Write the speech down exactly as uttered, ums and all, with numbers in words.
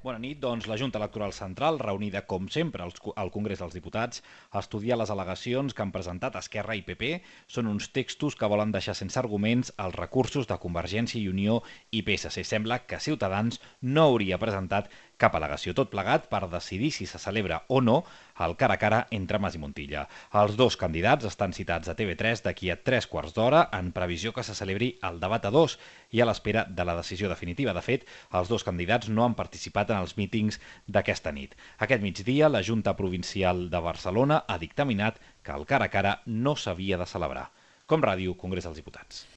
Bona nit. Doncs la Junta Electoral Central, reunida com sempre al Congrés dels Diputats, ha estudiat les al·legacions que han presentat Esquerra i P P. Són uns textos que volen deixar sense arguments els recursos de Convergència i Unió i P S C. Sembla que Ciutadans no hauria presentat cap al·legació. Tot plegat per decidir si se celebra o no el cara a cara entre Mas i Montilla. Els dos candidats estan citats a T V tres d'aquí a tres quarts d'hora en previsió que se celebri el debat a dos i a l'espera de la decisió definitiva. De fet, els dos candidats no han participat en els mítings d'aquesta nit. Aquest migdia, la Junta Provincial de Barcelona ha dictaminat que el cara a cara no s'havia de celebrar. Com Ràdio, Congrés dels Diputats.